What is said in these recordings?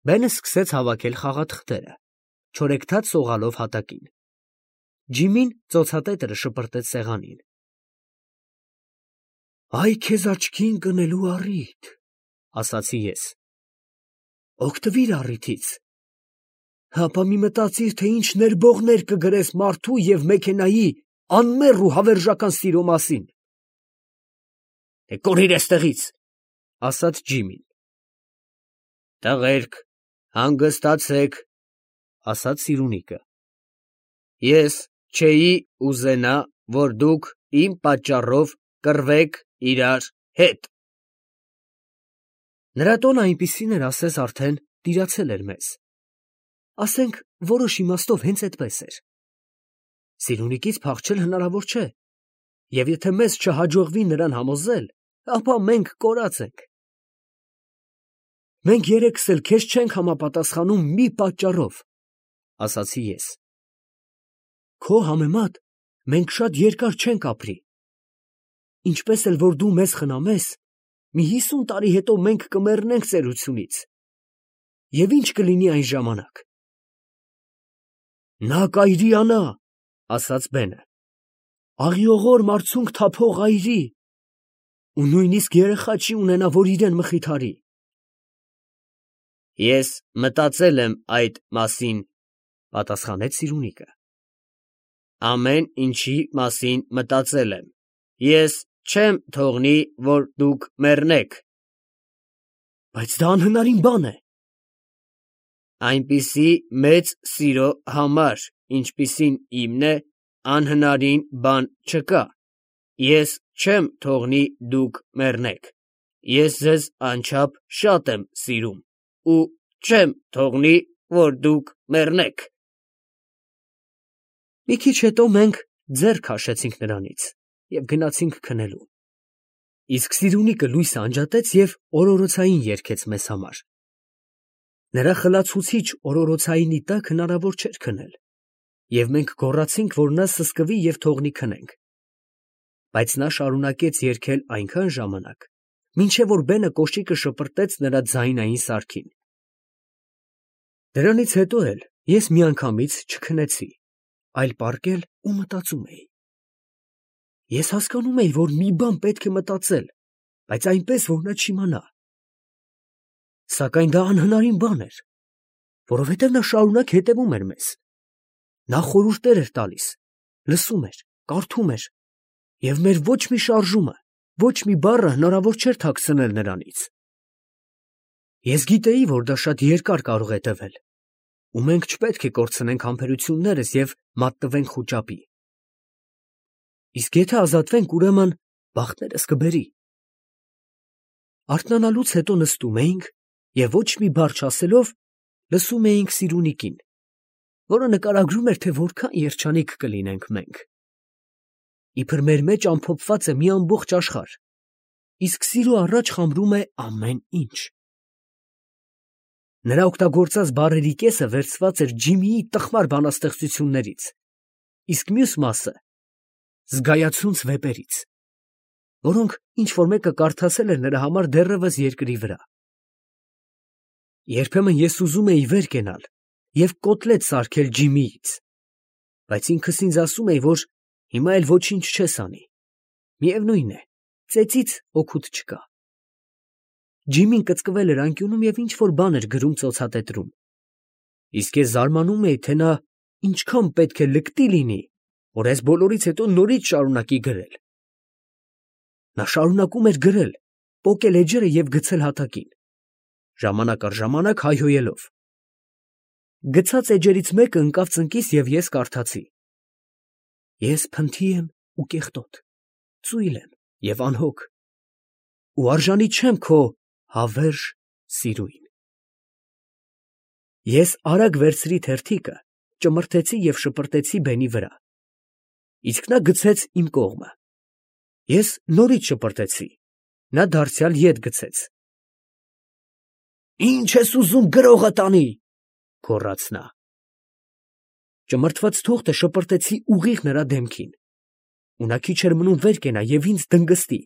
Բենը սկսեց հավաքել խաղաթղթերը, չորեքթաթ սողալով հատակին։ Ջիմին ծոցատետրը շպրտեց սեղանին։ Այ քեզ աչքի ընկնելու առիթ, ասացի ես։ Օգտվիր առիթից։ Հապա մի մտածիր, թե ինչ ներբողներ կգրես մարդու և մեքենայի անմեղ ու հավերժական սիրո մասին։ Կորիր էստեղից, ասաց Ջիմին։ Տղերք, հանգստացեք, ասաց Սիրունիկը։ Ես չէի ուզենա, որ դուք իմ պատճառով կռվեք իրար հետ։ Նրա տոնը այնպիսին էր, ասես արդեն տիրացել էր մեզ։ Ասենք, որոշ իմաստով հենց այդպես էր։ Սիրունիկից փախչել հնարավոր չէ, և եթե մեզ չհաջողվի նրան համոզել, ապա մենք կորած ենք։ Մենք երեքս էլ քեզ չենք համապատասխանում մի պատճառով, ասացի ես։ Քո համեմատ մենք շատ երկար չենք ապրի։ Ինչպես էլ որ դու մեզ խնամես, մի 50 տարի հետո մենք կմեռնենք ծերությունից։ Եվ ինչ կլինի այն ժամանակ։ Նա կայրիանա, ասաց Բենը, աղիողոր մարցունք թափող այրի, ու նույնիսկ երեխա չի ունենա, որ իրեն մխիթարի։ Ես մտածել եմ այդ մասին, պատասխանեց Սիրունիկը։ Ամեն ինչի մասին մտածել եմ։ Ես չեմ թողնի, որ դուք մեռնեք։ Բայց դա անհնարին բան է։ Այնպիսի մեծ սիրո համար, ինչպիսին իմն է, անհնարին բան չկա։ Ես չեմ թողնի դուք մեռնեք։ Ես ձեզ անչափ շատ եմ սիրում ու չեմ թողնի, որ դուք մեռնեք։ Մի քիչ հետո մենք ձեռ քաշեցինք նրանից և գնացինք քնելու։ Իսկ Սիրունիկը լույսը անջատեց և օրորոցային երգեց մեզ համար։ Նրա խլացուցիչ օրորոցայինի տակ հնարավոր չէր քնել, և մենք գոռացինք, որ նա սսկվի և թողնի քնենք։ Բայց նա շարունակեց երգել այնքան ժամանակ, մինչև որ Բենը կոշիկը շպրտեց նրա ձայնային սարքին։ Դրանից հետո էլ ես միանգամից չքնեցի, այլ պառկել ու մտածում էի։ Ես հասկանում էի, որ մի բան պետք է մտածել, բայց այնպես, որ նա չիմանա։ Սակայն դա անհնարին բան էր, որովհետև նա շարունակ հետևում էր մեզ։ Նա խորհուրդներ էր տալիս, լսում էր, կարդում էր, և մեր ոչ մի շարժումը, ոչ մի բառը հնարավոր չէր թաքցնել նրանից։ Ես գիտեի, որ դա շատ երկար կարող է տևել, ու մենք չպետք է կորցնենք համբերություններս և մատնվենք խուճապի։ Իսկ եթե ազատվենք, ուրեմն բախտներս կբերի։ Արթնանալուց հետո նստում էինք և ոչ մի բառ չասելով լսում էինք Սիրունիկին, որը նկարագրում էր, թե որքան երջանիկ կլինենք մենք։ Իբր մեր մեջ ամփոփված է մի ամբողջ աշխարհ, իսկ սիրո առաջ խամրում է ամեն ինչ։ Նրա օգտագործած բառերի կեսը վերցված էր Ջիմիի տխմար բանաստեղծություններից, իսկ մյուս մասը զգայացունց վեպերից, որոնք ինչ-որ մեկը կարդացել էր նրա համար դեռևս երկրի վրա։ Երբեմն ես ուզում էի վեր կենալ և կոտլետ սարքել Ջիմիից, բայց ինքս ինձ ասում էի, որ հիմա էլ ոչինչ չես անի, միևնույն է, ծեծից օգուտ չկա։ Ջիմին կծկվել էր անկյունում և ինչ-որ բան էր գրում ծոցատետրում, իսկ ես զարմանում էի, թե նա ինչքան պետք է լկտի լինի, որ այս բոլորից հետո նորից շարունակի գրել։ Նա շարունակում էր գրել, պոկել էջերը և գցել հատակին, ժամանակ առ ժամանակ հայհոյելով։ Գցած էջերից մեկը ընկավ ծնկիս, և ես կարդացի. Ես փնթի եմ ու կեղտոտ, ծույլ եմ և անհոգ, ու արժանի չեմ քո հավերժ սիրուին։ Ես արագ վերցրի թերթիկը, ճմրթեցի և շպրտեցի Բենի վրա, իսկ նա գցեց իմ կողմը։ Ես նորից շպրտեցի, նա դարձյալ ետ գցեց։ Ի՞նչ ես ուզում գրողդ անի, գոռաց նա։ Ճմրթված թուղթը շպրտեցի ուղիղ նրա դեմքին, ու նա քիչ էր մնում վեր կենա և ինձ դնգստի,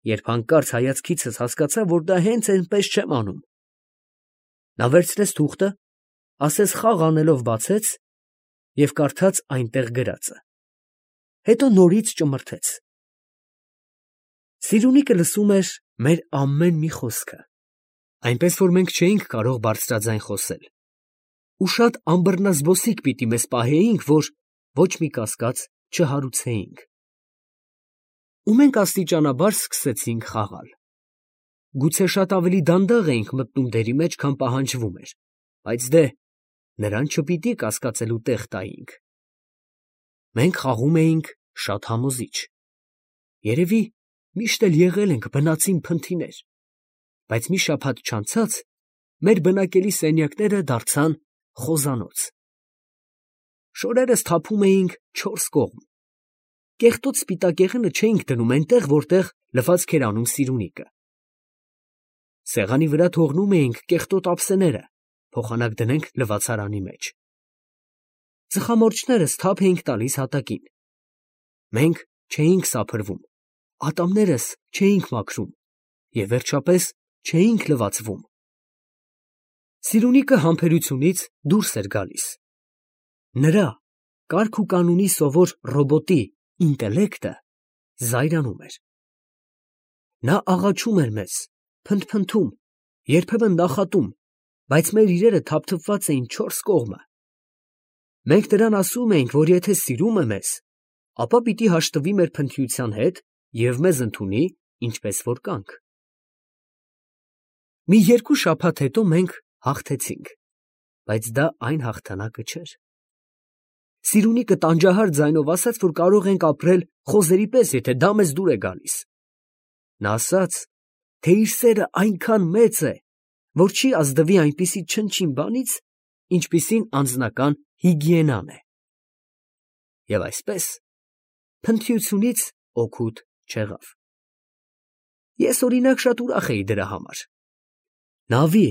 երբ հանկարծ հայացքիցս հասկացա, որ դա հենց այնպես չեմ անում։ Նա վերցրեց թուղթը, ասես խաղ անելով բացեց և կարդաց այնտեղ գրածը, հետո նորից ճմրթեց։ Սիրունիկը լսում էր մեր ամեն մի խոսքը, այնպես որ մենք չէինք կարող բարձրաձայն խոսել, ու շատ անբռնազբոսիկ պիտի մեզ պահեինք, որ ոչ մի կասկած չհարուցեինք։ Ու մենք աստիճանաբար սկսեցինք խաղալ։ Գուցե շատ ավելի դանդաղ էինք մտնում դերի մեջ, քան պահանջվում էր, բայց դե, նրան չպիտի կասկածելու տեղ տայինք։ Մենք խաղում էինք շատ համոզիչ։ Երևի միշտ էլ եղել ենք բնածին փնթիներ, բայց մի շաբաթ չանցած մեր բնակելի սենյակները դարձան խոզանոց։ Շորերս թափում էինք չորս կողմ։ Կեղտոտ սպիտակեղենը չէինք դնում այնտեղ, որտեղ լվացք էր անում Սիրունիկը։ Սեղանի վրա թողնում էինք կեղտոտ ափսեները, փոխանակ դնենք լվացարանի մեջ։ Ծխամորճներս թափ էինք տալիս հատակին։ Մենք չէինք սափրվում, ատամներս չէինք մաքրում և վերջապես չէինք լվացվում։ Սիրունիկը համբերությունից դուրս էր գալիս։ Նրա կարգ ու կանունի սովոր ռոբոտի ինտելեկտը զայրանում էր։ Նա աղաչում էր մեզ, փնթփնթում, երբեմն նախատում, բայց մեր իրերը թափթփված էին չորս կողմը։ Մենք նրան ասում էինք, որ եթե սիրում է մեզ, ապա պիտի հաշտվի մեր փնթիության հետ և մեզ ընդունի, ինչպես որ կանք։ Մի երկու շաբաթ հետո մենք հաղթեցինք, բայց դա այն հաղթանակը չէր։ Սիրունիկը տանջահար ձայնով ասաց, որ կարող ենք ապրել խոզերի պես, եթե դա մեզ դուր է գալիս։ Նա ասաց, թե իր սերը այնքան մեծ է, որ չի ազդվի այնպիսի չնչին բանից, ինչպիսին անձնական հիգիենան է։ Եվ այսպես, փնթիությունից օգուտ չեղավ։ Ես օրինակ շատ ուրախ էի դրա համար։ Նավի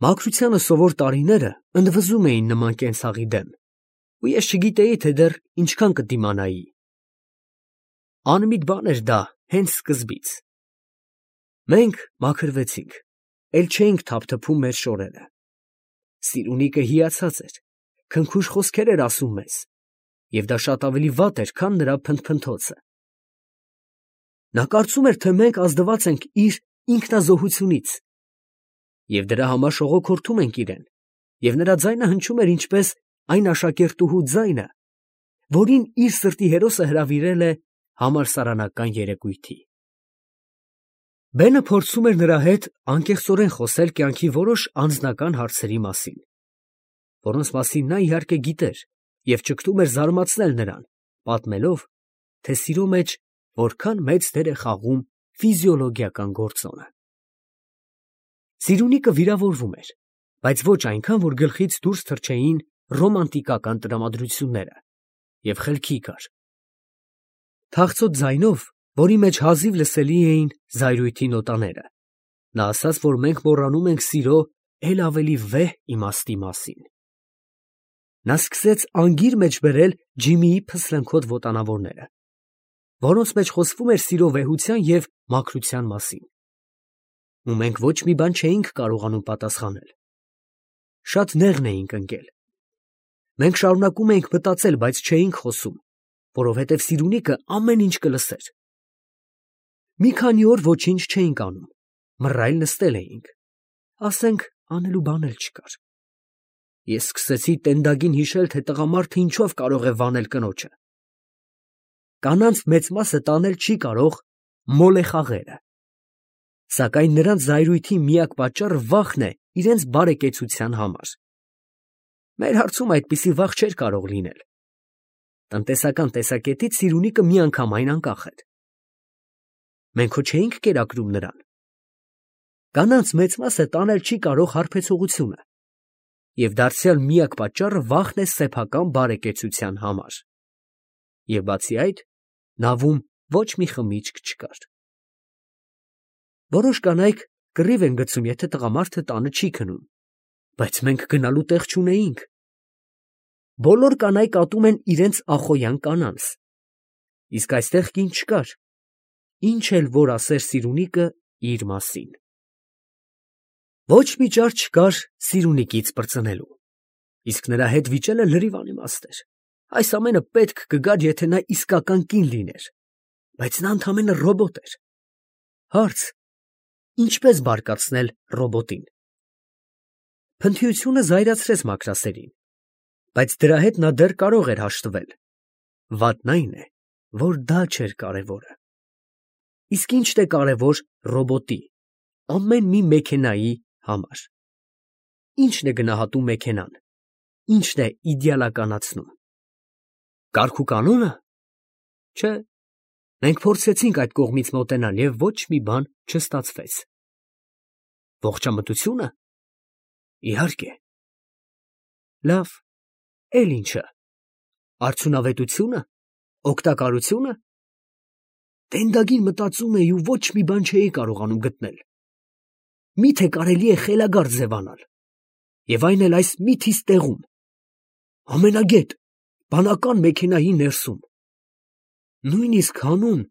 մաքրությանը սովոր տարիները ընդվզում էին նման կենցաղի դեմ, ու ես չգիտեի, թե դեռ ինչքան կդիմանայի։ Անմիտ բան էր դա հենց սկզբից։ Մենք մաքրվեցինք, էլ չէինք թափթփում մեր շորերը։ Սիրունիկը հիացած էր, քնքուշ խոսքեր էր ասում մեզ, և դա շատ ավելի վատ էր, քան նրա փնթփնթոցը։ Նա կարծում էր, թե մենք ազդված ենք իր ինքնազոհությունից, և դրա համար շողոքորթում ենք իրեն, և նրա ձայնը հնչում էր ինչպես այն աշակերտուհու ձայնը, որին իր սրտի հերոսը հրավիրել է համալսարանական երեկույթի։ Բենը փորձում էր նրա հետ անկեղծորեն խոսել կյանքի որոշ անձնական հարցերի մասին, որոնց մասին նա իհարկե գիտեր և ճգտում էր զարմացնել նրան, պատմելով, թե սիրո մեջ որքան մեծ դեր է խաղում ֆիզիոլոգիական գործոնը։ Սիրունիկը վիրավորվում էր, բայց ոչ այնքան, որ գլխից դուրս թռչեին ռոմանտիկական տրամադրությունները, և խելքի գար։ Թախծոտ ձայնով, որի մեջ հազիվ լսելի էին զայրույթի նոտաները, նա ասաց, որ մենք մոռանում ենք սիրո էլ ավելի վեհ իմաստի մասին։ Նա սկսեց անգիր մեջ բերել Ջիմիի փսլնքոտ ոտանավորները, որոնց մեջ խոսվում էր սիրո վեհության և մաքրության մասին։ Ու մենք ոչ մի բան չէինք կարողանում պատասխանել։ Շատ նեղն էինք ընկել։ Մենք շարունակում էինք մտածել, բայց չէինք խոսում, որովհետև Սիրունիկը ամեն ինչ կլսեր։ Մի քանի օր ոչինչ չէինք անում, մռայլ նստել էինք, ասենք անելու բան էլ չկար։ Ես սկսեցի տենդագին հիշել, թե տղամարդը ինչով կարող է վանել կնոջը։ Կանանց մեծ մասը տանել չի կարող մոլեխաղերը, սակայն նրանց զայրույթի միակ պատճառը վախն է իրենց բարեկեցության համար։ Մեր հարցում այդպիսի վախ չէր կարող լինել։ Տնտեսական տեսակետից Սիրունիկը միանգամայն անկախ էր։ Մենք հո չէինք կերակրում նրան։ Կանանց մեծ մասը տանել չի կարող հարբեցողությունը, և դարձյալ միակ պատճառը վախն է սեփական բարեկեցության համար։ Եվ բացի այդ, նավում ոչ մի խմիչք չկար։ Որոշ կանայք կռիվ են գցում, եթե տղամարդը տանը չի քնում, բայց մենք գնալու տեղ չունեինք։ Բոլոր կանայք ատում են իրենց ախոյան կանանց, իսկ այստեղ կին չկար, ինչ էլ որ ասեր Սիրունիկը իր մասին։ Ոչ մի ճար չկար Սիրունիկից պրծնելու, իսկ նրա հետ վիճելը լրիվ անիմաստ էր։ Այս ամենը պետք կգար, եթե նա իսկական կին լիներ, բայց նա ընդամենը ռոբոտ էր։ Հարց. ինչպես բարկացնել ռոբոտին։ Փնթիությունը զայրացրեց Մաքրասերին, բայց դրա հետ նա դեռ կարող էր հաշտվել։ Վատն այն է, որ դա չէր կարևորը։ Իսկ ի՞նչն է կարևոր ռոբոտի, ամեն մի մեքենայի համար։ Ի՞նչն է գնահատում մեքենան, ի՞նչն է իդեալականացնում։ Կարգուկանո՞նը։ Չէ, մենք փորձեցինք այդ կողմից մոտենալ և ոչ մի բան չստացվեց։ Ողջամտությունը։ Իհարկե։ Լավ, էլ ինչը։ Արդյունավետությունը, օգտակարությունը։ Տենդագին մտածում էի ու ոչ մի բան չէի կարողանում գտնել։ Միթե կարելի է խելագար ձևանալ, և այն էլ այս միթիս տեղում, ամենագետ, բանական մեքենայի ներսում, նույնիսկ հանուն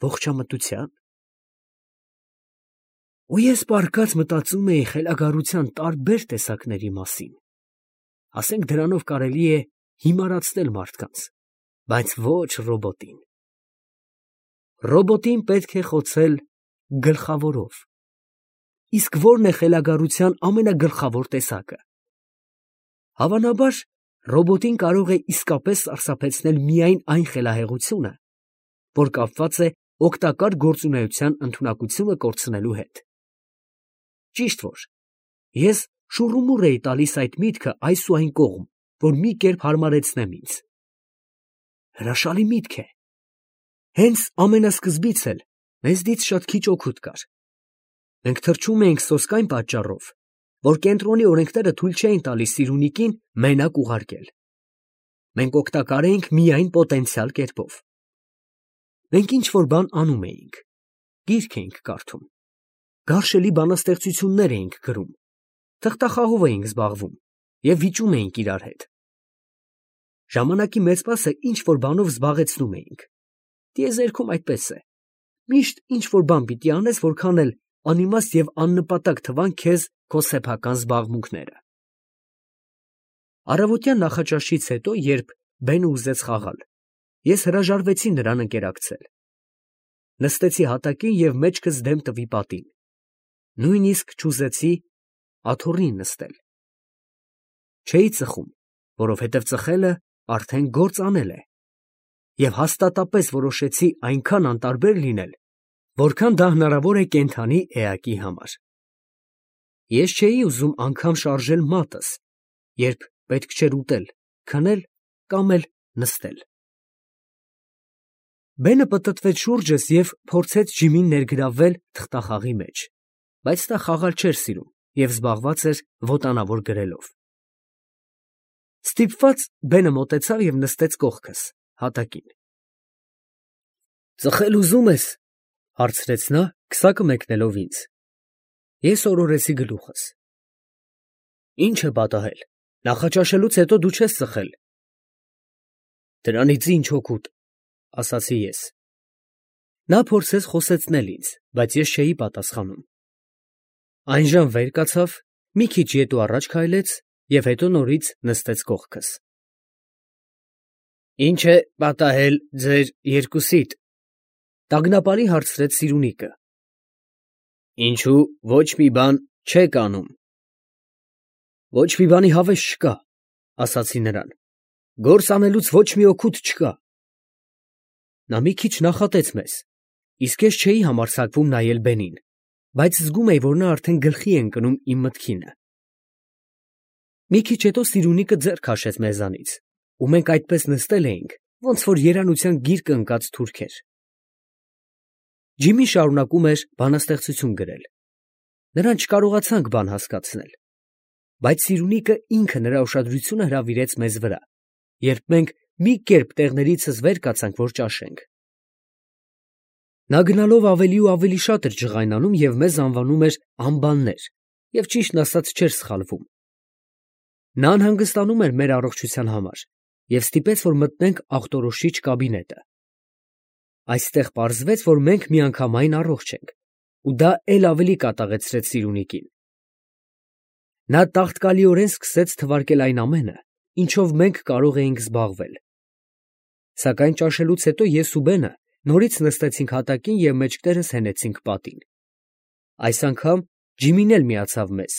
ողջամտության։ Ու ես պառկած մտածում էի խելագարության տարբեր տեսակների մասին, ասենք դրանով կարելի է հիմարացնել մարդկանց, բայց ոչ ռոբոտին։ Ռոբոտին պետք է խոցել գլխավորով։ Իսկ ո՞րն է խելագարության ամենագլխավոր տեսակը։ Հավանաբար, ռոբոտին կարող է իսկապես սարսափեցնել միայն այն խելահեղությունը, որ կապված է օգտակար գործունեության ընդունակությունը կորցնելու հետ։ Ճիշտ որ, ես շուռումուռ էի տալիս այդ միտքը այս ու այն կողմ, որ մի կերպ հարմարեցնեմ ինձ։ Հրաշալի միտք է։ Հենց ամենասկզբից էլ մեզնից շատ քիչ օգուտ կար։ Մենք թռչում էինք սոսկ այն պատճառով, որ կենտրոնի օրենքները թույլ չէին տալիս Սիրունիկին մենակ ուղարկել։ Մենք օգտակար էինք միայն պոտենցիալ կերպով։ Մենք ինչ-որ բան անում էինք, գիրք էինք կարդում, գարշելի բանաստեղծություններ էինք գրում, թղթախաղով էինք զբաղվում և վիճում էինք իրար հետ։ Ժամանակի մեծ մասը ինչ-որ բանով զբաղեցնում էինք։ Տիեզերքում այդպես է. միշտ ինչ-որ բան պիտի անես, որքան էլ անիմաստ և աննպատակ թվան քեզ քո սեփական զբաղմունքները։ Առավոտյան նախաճաշից հետո, երբ բենը ուզեց խաղալ, ես հրաժարվեցի նրան ընկերակցել։ Նստեցի հատակին և մեջքս դեմ տվի պատին, նույնիսկ չուզեցի աթոռին նստել։ Չէի ծխում, որովհետև ծխելը արդեն գործ անել է, և հաստատապես որոշեցի այնքան անտարբեր լինել, որքան դա հնարավոր է կենդանի էակի համար։ Ես չէի ուզում անգամ շարժել մատս, երբ պետք չէր ուտել, քնել կամ էլ նստել։ Բենը պտտվեց շուրջս և փորձեց ջիմին ներգրավվել թղթախաղի մեջ, բայց նա խաղալ չէր սիրում և զբաղված էր ոտանավոր գրելով։ Ստիպված բենը մոտեցավ և նստեց կողքս, հատակին։ Ծխել ուզում ես, հարցրեց նա, քսակը մեկնելով ինձ։ Ես օրորեցի գլուխս։ Ի՞նչ է պատահել, նախաճաշելուց հետո դու չես ծխել։ Դրանից ի՞նչ օգուտ, ասացի ես։ Նա փորձեց խոսեցնել ինձ, բայց ես չէի պատասխանում։ Այն ժամ վեր կացավ, մի քիչ ետ ու առաջ քայլեց և հետո նորից նստեց կողքս։ Ի՞նչ է պատահել ձեր երկուսիդ, տագնապալի հարցրեց Սիրունիկը։ Ինչու ոչ մի բան չեք անում։ Ոչ մի բանի հավես չկա, ասացի նրան։ Գործ անելուց ոչ մի օգուտ չկա։ Նա մի քիչ նախատեց մեզ, իսկ ես չէի համարձակվում նայել բենին, բայց զգում էի, որ նա արդեն գլխի է ընկնում իմ մտքինը։ Մի քիչ հետո Սիրունիկը ձեռ քաշեց մեզանից, ու մենք այդպես նստել էինք, ոնց որ երանության գիրկը ընկած թուրքեր։ Ջիմին շարունակում էր բանաստեղծություն գրել։ Նրան չկարողացանք բան հասկացնել, բայց Սիրունիկը ինքը նրա ուշադրությունը հրավիրեց մեզ վրա, երբ մենք մի կերպ տեղներիցս վեր կացանք, որ ճաշենք։ Նա գնալով ավելի ու ավելի շատ էր ջղայնանում և մեզ անվանում էր անբաններ և ճիշտն ասած չէր սխալվում։ Նա անհանգստանում էր մեր առողջության համար և ստիպեց, որ մտնենք ախտորոշիչ կաբինետը։ Այստեղ պարզվեց, որ մենք միանգամայն առողջ ենք, ու դա էլ ավելի կատաղեցրեց Սիրունիկին, Նա տաղտկալիորեն սկսեց թվարկել այն ամենը, ինչով մենք կարող էինք զբաղվել. սակայն ճաշելուց հետո ես ու Բենը նորից նստեցինք հատակին և մեջքներս հենեցինք պատին. այս անգամ Ջիմին էլ միացավ մեզ։